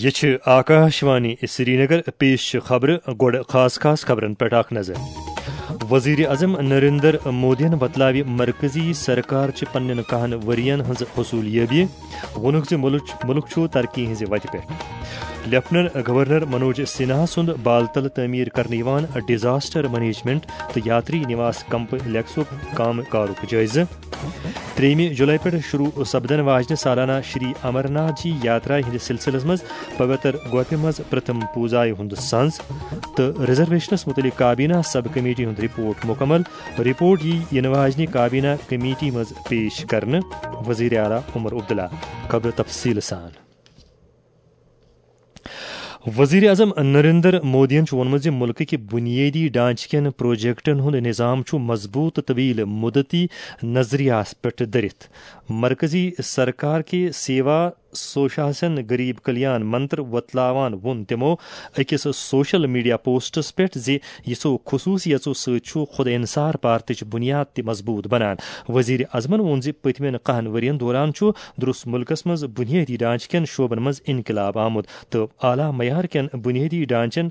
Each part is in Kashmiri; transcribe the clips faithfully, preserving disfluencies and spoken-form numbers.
یہ چھِ آکاشوانی سرینگر۔ پیش چھِ خبرٕ۔ گۄڈٕ خاص خاص خبرن پٮ۪ٹھ اکھ نظر۔ وزیر اعظم نریندر مودیَن وۄتلاوِ مرکزی سرکار چہِ پننٮ۪ن کاہن ؤرین ہٕنٛز حصوٗل یٲبی۔ ووٚنُکھ زِ مُلک، مُلک چھُ ترقی ہٕنٛزِ وتہِ پٮ۪ٹھ۔ لیفٹننٹ گورنر منوج سنہا سُنٛد بالتل تعمیٖر کرنہٕ یِوان ڈیزاسٹر مینجمنٹ تہٕ یاتری نواس کمپلیکسُک کامہِ کارُک جٲیزٕ۔ ترٛیٚیِمہِ جُلای پٮ۪ٹھ شروع سپدن واجنہِ سالانہ شری امرناتھ جی یاترا ہٕنٛدِس سلسلس منٛز پوتر گۄپھِ منٛز پرتھم پوزایہِ ہُنٛد سنز تہٕ ریزرویشنس مُتعلق کابینہ سب کمیٹی ہُنٛد رپورٹ مُکمل۔ رپورٹ یی یِنہٕ واجنہِ کابینہ کمیٹی منٛز پیش کرنہٕ۔ وزیر اعلیٰ عمر عبداللہ۔ خبرٕ تفصیٖل سان۔ وزیر اعظم نریندر مودیَن چھُ ووٚنمُت زِ مُلکٕکۍ بُنیٲدی ڈھانچہٕ کٮ۪ن پروجیکٹن ہُنٛد نظام چھُ مضبوط تہٕ طویل مدتی نظریہَس پٮ۪ٹھ دٔرِتھ۔ مرکزی سرکار کہِ سیوا سوشاسن غریب کلیان منتر وۄتلاوان ووٚن تِمو أکِس سوشل میڈیا پوسٹس پٮ۪ٹھ زِ یِژھو خصوٗصیژو سۭتۍ چھُ خود انحصار بھارتٕچ بُنیاد تہِ مضبوط بنان۔ وزیر اعظمن ووٚن زِ پٔتمٮ۪ن کاہن ؤرین دوران چھُ درست مُلکس منٛز بُنیٲدی ڈھانچہٕ کٮ۪ن شعبن منٛز انقلاب آمُت تہٕ اعلیٰ معیار کٮ۪ن بُنیٲدی ڈھانچن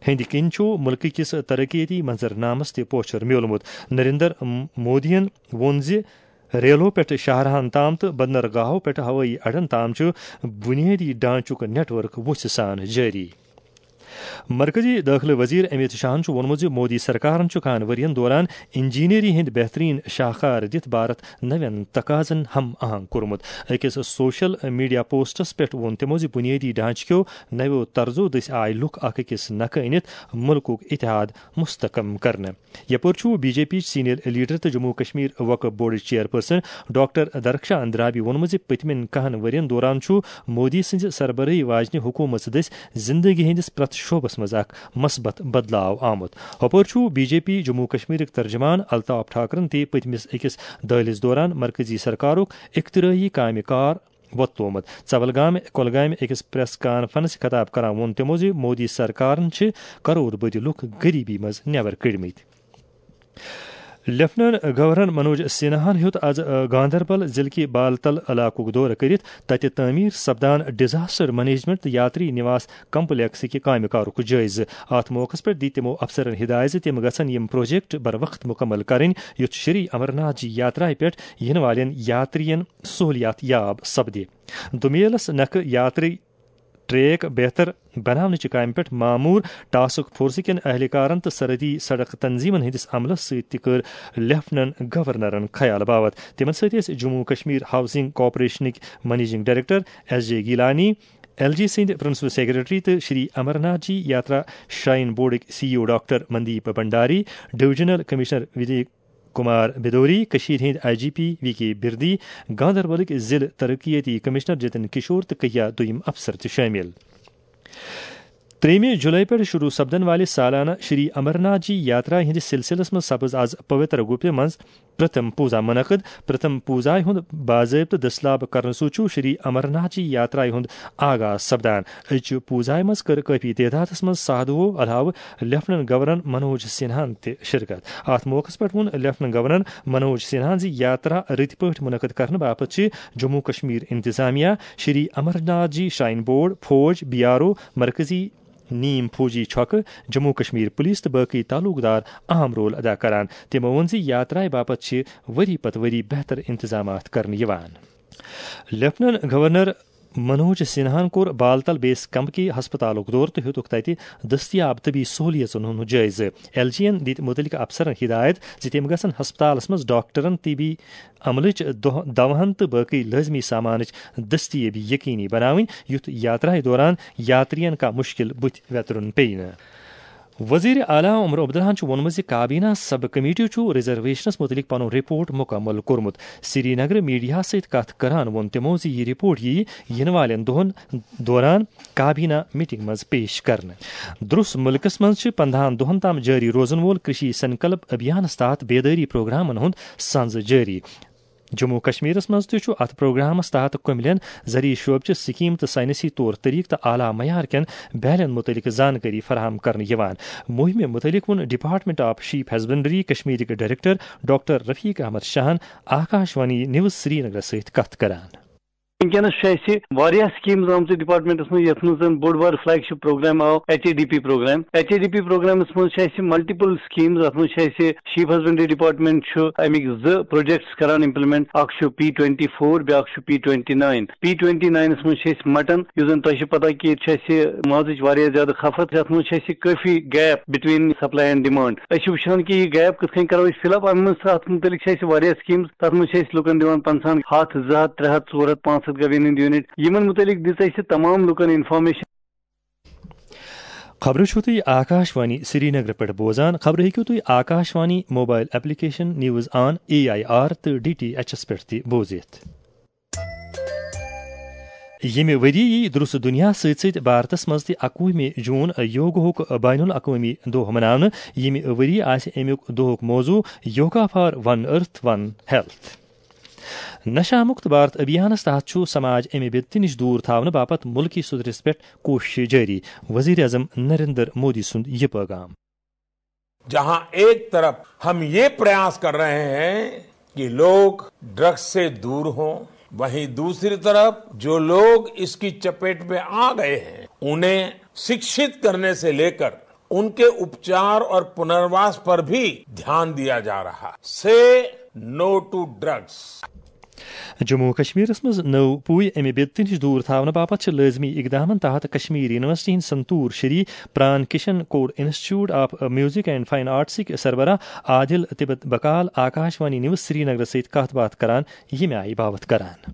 ہٕنٛدِ کِنۍ چھُ مُلکہٕ کِس ترقیتی منظرنامس تہِ پوچھر میوٗلمُت۔ نریندر مودیَن ووٚن زِ ریلو پٮ۪ٹھ شاہراہن تام تہٕ بندرگاہو پٮ۪ٹھ ہوٲیی اڈن تام چھُ بُنیٲدی ڈھانچُک نیٹ ورک وُژھِ سان جٲری۔ مرکزی دٲخلہٕ وزیر امیت شاہن چھُ ووٚنمُت زِ مودی سرکارن چھُ کہن ؤرین دوران انجینئرنگ ہٕنٛدۍ بہترین شاہکار دِتھ بھارت نوین تقاضن ہم آہنگ کوٚرمُت۔ أکِس سوشل میڈیا پوسٹس پٮ۪ٹھ ووٚن تِمو زِ بُنیٲدی ڈھانچہٕ کیو نویو طرزو دٔسۍ آے لُکھ اکھ أکِس نکھٕ أنِتھ مُلکُک اتحاد مستحکم کرنہٕ۔ یپٲرۍ چھُ B J P senior leader تہٕ جموں کشمیر وقف بورڈٕچ چیئرپرسن ڈاکٹر درخشان اندرابی ووٚنمُت زِ پٔتمٮ۪ن کہن ؤرین دوران چھُ مودی سٕنٛزِ سربرٲہی واجنہِ حکوٗمژ دٔسۍ زندگی ہٕنٛدِس پرٛٮ۪تھ شعبس منٛز اکھ مثبت بدلاو آمُت۔ ہُپٲرۍ چھُ بی جے پی جموں کشمیرٕکۍ ترجمان الطاف ٹھاکرن تہِ پٔتمِس أکِس دٲلِس دوران مرکزی سرکارُک اختراعی کامہِ کار وۄتلومُت۔ ژولگامہِ کۄلگامہِ أکِس پریس کانفرنس خطاب کران ووٚن تِمو زِ مودی سرکارن چھِ کرور بٔدۍ لُکھ غریبی منٛز نٮ۪بر کٔڑمٕتۍ۔ لیفٹننٹ گورنر منوج سنہاہن ہیوٚت از، آ، گاندربل ضلعہٕ کہِ بالتل علاقُک دورٕ کٔرِتھ تتہِ تعمیٖر سپدان ڈیزاسٹر مینجمنٹ تہٕ یاتری نواس کمپلیکسٕکہِ کامہِ کارُک جٲیزٕ۔ اتھ موقعس پٮ۪ٹھ دِتۍ تِمو افسرن ہدایت زِ تِم گژھن یِم پروجیکٹ بر وقت مکمل کرٕنۍ، یُتھ شری امرناتھ جی یاترایہِ پٮ۪ٹھ یِنہٕ والٮ۪ن یاترین سہولیات یاب سپدِ۔ دُمیلس نکھٕ یاتری ٹریک بہتر بناونٕچہِ کامہِ پٮ۪ٹھ مامور ٹاسک فورسہٕ کٮ۪ن اہلکارن تہٕ سرحدی سڑک تنظیمن ہٕنٛدِس عملس سۭتۍ تہِ کٔر لیفٹننٹ گورنرن خیال باوت۔ تِمن سۭتۍ ٲسۍ جموں کشمیر ہاؤسنگ کارپوریشنٕکۍ managing director S J Gilani, L G سٕنٛدۍ پرنسپل سیکرٹری تہٕ شری امرناتھ جی یاترا شراین بورڈٕکۍ C E O doctor Mandeep Bhandari, divisional commissioner ودی کمار بدوری، کٔشیٖرِ ہٕنٛدۍ I G P V K Birdi, گاندربلٕکۍ ضلعہٕ ترقیتی کمشنر جتن کشور تہٕ کہیا دوٚیِم افسر تہِ شٲمِل۔ ترٛیٚیِمہِ جُلای پٮ۪ٹھ شروع سپدن والہِ سالانہ شری امرناتھ جی یاترا ہٕنٛدِس سلسلس منٛز سپٕز از پوتر گُپہِ منٛز پرتھم پوزا منعقد۔ پرتھم پوزایہِ ہُنٛد باضٲبطہٕ دٔسلاب کرنہٕ سۭتۍ چھُ شری امرناتھ جی یاترایہِ ہُنٛد آغاز سپدان۔ أزچہِ پوزایہِ منٛز کٔر کٲفی تعدادس منٛز سادھوو علاوٕ لیفٹننٹ گورنر منوج سنہاہن تہِ شرکت۔ اتھ موقعس پٮ۪ٹھ ووٚن لیفٹننٹ گورنر منوج سنہاہن زِ یاترا رٕتۍ پٲٹھۍ منعقد کرنہٕ باپتھ چھِ جموں کشمیر انتظامیہ، شری امرناتھ جی شراین بورڈ، فوج، بی آر او، مرکزی نیم فوجی چھۄکہٕ، جموں کشمیر پولیس تہٕ باقی تعلق دار اہم رول ادا کران۔ تِمو ووٚن زِ یاترایہِ باپتھ چھِ ؤری پتہٕ ؤری بہتر انتظامات کرنہٕ یِوان۔ لیفٹننٹ گورنر منوج سنہاہن کوٚر بالتل بیس کیمپ کہِ ہسپتالُک دورٕ تہٕ ہیوٚتُکھ تتہِ دٔستیاب طبی سہولیژن ہُنٛد جٲیزٕ۔ ایل جی ین دِتۍ مُتعلقہٕ افسرن ہدایت زِ تِم گژھن ہسپتالس منٛز ڈاکٹرن، طبی عملٕچ دۄہ-، دوہن تہٕ باقی لٲزمی سامانٕچ دٔستیٲبی یقینی بناوٕنۍ، یُتھ یاترایہِ دوران یاترین کانٛہہ مُشکِل بُتھِ ویترُن پیٚیہِ نہٕ۔ وزیر اعلیٰ عمر عبداللہن چھُ ووٚنمُت زِ کابینہ سب کمیٹیو چھُ ریزرویشنس مُتعلق پنُن رپورٹ مُکمل کوٚرمُت۔ سری نگر میڈیاہس سۭتۍ کتھ کران ووٚن تِمو زِ یہِ رپورٹ ییہِ یِنہٕ والٮ۪ن دۄہن دوران کابینہ میٹنگ منٛز پیش کرنہٕ۔ درس مُلکس منٛز چھِ پندہن دۄہن تام جٲری روزن وول کرشی سنکلپ ابھیانس تحت بیدٲری پروگرامن ہُنٛد سنز جٲری۔ جموں و کشمیرس منٛز تہِ چھُ اتھ پروگرامس تحت کُملٮ۪ن زرعی شعبہٕ چہِ سکیٖم تہٕ ساینسی طور طریقہٕ تہٕ اعلیٰ معیار کٮ۪ن بیلن مُتعلق زانکٲری فراہم کرنہٕ یِوان۔ مُہِمہِ مُتعلق ووٚن ڈپارٹمنٹ آف شیپ ہسبنڈری کشمیرٕکۍ ڈائریکٹر ڈاکٹر رفیق احمد شاہن آکاشوانی نیوز سرینگرس سۭتۍ کتھ کران۔ وٕنکیٚنَس چھُ اَسہِ واریاہ سکیٖمز آمژٕ ڈپارٹمنٹس منٛز، یَتھ منٛز زَن بوٚڑ بار فلیگ شپ پروگرام آو، H A D P programme. H A D P پروگرامس منٛز چھِ اَسہِ ملٹیپل سکیٖمز، اَتھ منٛز چھِ اَسہِ شیپ ہسبنڈری ڈپارٹمنٹ چھُ اَمِکۍ زٕ پروجیکٹس کران امپلیمنٹ، اکھ چھُ پی ٹوینٹی فور، بیٛاکھ چھُ P twenty nine. P twenty ناینس منٛز چھِ أسۍ مٹن، یُس زَن تۄہہِ چھِ پتہ کہِ ییٚتہِ چھِ اَسہِ مازٕچ واریاہ زیادٕ کھپت، یَتھ منٛز چھِ اَسہِ کٲفی gap between supply and demand. أسۍ چھِ وٕچھان کہِ یہِ گیپ کِتھ کٔنۍ کرو أسۍ فل اپ۔ اَمہِ منٛز، اَتھ مُتعلِق چھِ اَسہِ واریاہ سکیٖمز، تَتھ منٛز چھِ أسۍ لُکن دِوان پنٛژاہن ہَتھ، زٕ ہَتھ، ترٛےٚ ہَتھ، ژور ہَتھ، پانٛژھ ہَتھ گوین ہٕنٛدۍ یوٗنٹ۔ یِمن مُتعلِق دِژ اَسہِ تمام لُکن انفارمیشن۔ خبرٕ چھِو تُہۍ آکاش وانی سرینگرٕ پٮ۪ٹھ بوزان۔ خبرٕ ہیٚکِو تُہۍ Akashvani mobile application, news on A I R تہٕ ڈی ٹی ایچ ایس پٮ۪ٹھ تہِ بوٗزِتھ۔ ییٚمہِ ؤری یی درست دُنیا سۭتۍ سۭتۍ بھارتس منٛز تہِ اَکوُہمہِ جوٗن یوگاہُک بین الاقوٲمی دۄہ مناونہٕ۔ ییٚمہِ ؤری آسہِ اَمیُک دۄہُک موضوع yoga for one earth one health. نشہ مکت بھارت ابھیانس تحت چھُ سماج امہِ بدتہِ نِش دوٗر تھاونہٕ باپتھ مُلکی سطحس پٮ۪ٹھ کوٗششہٕ جٲری۔ وزیر اعظم نریندر مودی سُنٛد یہِ پیغام۔ جہاں ایک طرف ہم یہ پریاس کر رہے ہیں کہ لوگ ڈرگز سے دور ہوں، وہیں دوسری طرف جو لوگ اس کی چپیٹ میں آ گئے ہیں، انہیں شکشت کرنے سے لیکر ان کے اپچار اور پنرواس پر بھی دھیان دیا جا رہا۔ Say no to drugs. Jammu و کشمیرس منٛز نٔو پُے امہِ بدتہِ نِش دوٗر تھاونہٕ باپتھ چھِ لٲزمی اقدامن تحت کشمیر یونیورسٹی ہٕنٛدۍ سنتور شری پران کشن کوٚر institute of music and fine آرٹسٕکۍ سربراہ عادل تبت بکال آکاش وانی نیوز سرینگرس سۭتۍ کتھ باتھ کران ییٚمہِ آیہِ باوتھ کران۔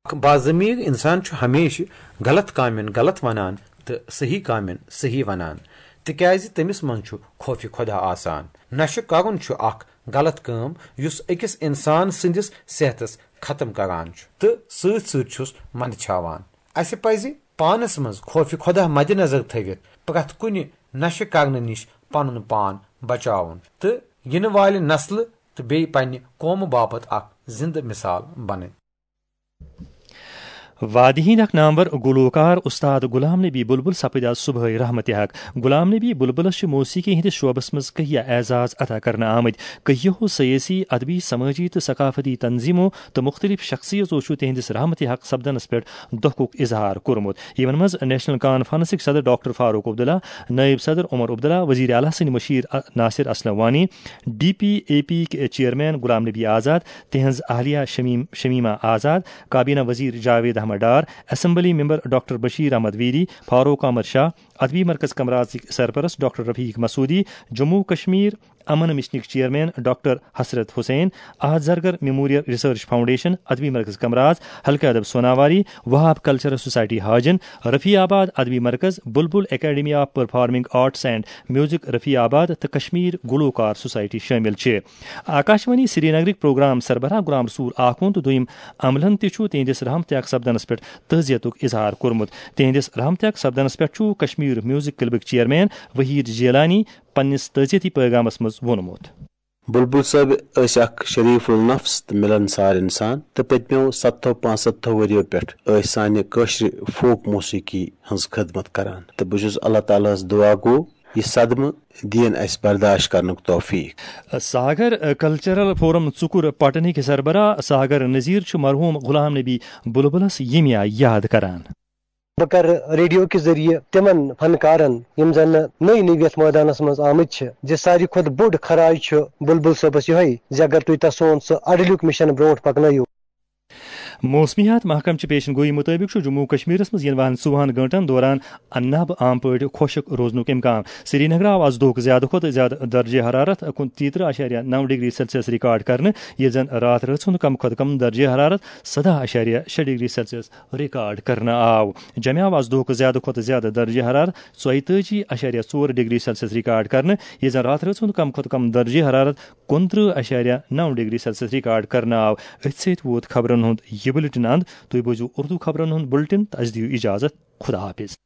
اکھ باضمیر انسان چھُ ہمیشہِ غلط کامٮ۪ن غلط ونان تہٕ صحیح کامٮ۪ن صحیح ونان، تِکیازِ تٔمِس منٛز چھُ خوفِ خدا آسان۔ نشہٕ کرُن چھُ اکھ غلط کٲم یُس أکِس انسان سٕنٛدِس صحتس ختم کران چھُ تہٕ سۭتۍ سۭتۍ چھُس منٛدچھاوان۔ اسہِ پزِ پانس منٛز خوفِ خدا مدِ نظر تھٲوِتھ پرٛٮ۪تھ کُنہِ نشہٕ کرنہٕ نِش پنُن پان بچاوُن تہٕ یِنہٕ والہِ نسلہٕ تہٕ بیٚیہِ پننہِ قومہٕ باپتھ اکھ زِندٕ مثال بنٕنۍ۔ وادی ہٕنٛدۍ اکھ نامور گلوکار استاد غلام نبی بلبل سپٕدۍ آز صبحٲے رحمتِ حق۔ غلام نبی بلبلس چھِ موسیقی ہٕنٛدِس شعبس منٛز کہیا اعزاز عطا کرنہٕ آمٕتۍ۔ کہیو سیٲسی، ادبی، سمٲجی تہٕ ثقافتی تنظیمو تہٕ مختلف شخصیژو چھُ تِہنٛدِس رحمتِ حق سپدنس پٮ۪ٹھ دۄکھُک اظہار کوٚرمُت، یِمن منٛز نیشنل کانفرنسٕکۍ صدر ڈاکٹر فاروق عبداللہ، نٲیِب صدر عمر عبداللہ، وزیر اعلیٰ سٕنٛدۍ مشیر Nasir Aslam Wani, D P A P یِکۍ چیئرمین غلام نبی آزاد، تِہنٛز اہلیہ شمیم، شمیمہ آزاد، کابینہ وزیر Javed Ahmad Dar, assembly member doctor Bashir Ahmad Veeri, Farooq Ahmad Shah, ادبی مرکز کمرازٕکۍ سرپرست ڈاکٹر رفیق مسعودی، جموں و کشمیر امن مشنٕکۍ چیئرمین ڈاکٹر حسرت حسین، احد زرگر میموریل ریسرچ فاؤنڈیشن، ادبی مرکز کمراز حلقہ ادب سوناواری، وہاب کلچرل سوسائٹی ہاجن، رفیع آباد ادبی مرکز، بلبل academy of performing arts and music Rafi آباد تہٕ کشمیر گلوکار سوسائٹی شٲمِل چھِ۔ آکاشوانی سرینگرٕکۍ پروگرام سربراہ غلام رسول آخوند تہٕ دوٚیِم عملن تہِ چھُ تِہنٛدِس رحمتِ حق سپدنس پٮ۪ٹھ تعزیتُک اظہار کوٚرمُت۔ تِہنٛدِس رحمتِ حق سپدنس پٮ۪ٹھ چھُ کشمیر میوزک کلبٕکۍ چیئرمین وحید جیلانی پننِس تعزیتی پیغامس منٛز ووٚنمُت۔ بلبل صٲب ٲسۍ اکھ شریف النفس تہٕ ملنسار انسان تہٕ پٔتمیو ستتھو پانٛژستتھو ؤریو پٮ۪ٹھ ٲسۍ سانہِ کٲشرِ فوک موسیقی ہٕنٛز خدمت کران تہٕ بہٕ چھُس اللہ تعالیٰ ہس دعا گو یہِ صدمہٕ دِیِن اسہِ برداشت کرنُک توفیق۔ ساگر کلچرل فورم ژُکُر پٹنٕکۍ سربراہ ساگر نذیر چھُ مرحوم غلام نبی بلبلس ییٚمہِ آیہِ یاد کران۔ بہٕ کرٕ ریڈیو کہِ ذٔریعہٕ تِمن فنکارن یِم زن نٔے نٔوۍ یتھ مٲدانس منٛز آمٕتۍ چھِ زِ ساروی کھۄتہٕ بوٚڑ خراج چھُ بلبل صٲبس یِہوٚے زِ اگر تُہۍ تسُنٛد سُہ اڈٕلیُک مِشن برونٛٹھ پکنٲیِو۔ موسمیات محکمہٕ چہِ پیشن گویی مُطٲبِق چھُ جموں و کشمیرس منٛز یِنہٕ والٮ۪ن ژوٚوُہن گٲنٛٹن دوران انب عام پٲٹھۍ خۄشک روزنُک امکان۔ سرینگرٕ آو آز دۄہُک زیادٕ کھۄتہٕ زیادٕ درجہ حرارت کُنترٕہ اعشاریہ نو ڈگری سیلسیس ریکارڈ کرنہٕ، ییٚلہِ زن راتھ رٲژ ہُنٛد کم کھۄتہٕ کم درجہ حرارت سداہ اعشاریہ شےٚ ڈگری سیلسیس ریکارڈ کرنہٕ آو۔ جمہِ آو آز دۄہُک زیادٕ کھۄتہٕ زیادٕ درجہ حرارت ژۄیتٲجی اعشاریہ ژور ڈگری سیلسیس ریکارڈ کرنہٕ، ییٚلہِ زن راتھ رٲژ ہُنٛد کم کھۄتہٕ کم درجہ حرارت کُنترٕہ اعشاریہ نو ڈگری سیلسیس ریکارڈ کرنہٕ آو۔ أتھۍ سۭتۍ ووت خبرن ہُنٛد یہِ بُلٹن اند۔ تُہۍ بوٗزِو اردو خبرن ہُنٛد بُلٹن تہٕ اسہِ دِیِو اجازت۔ خدا حافظ۔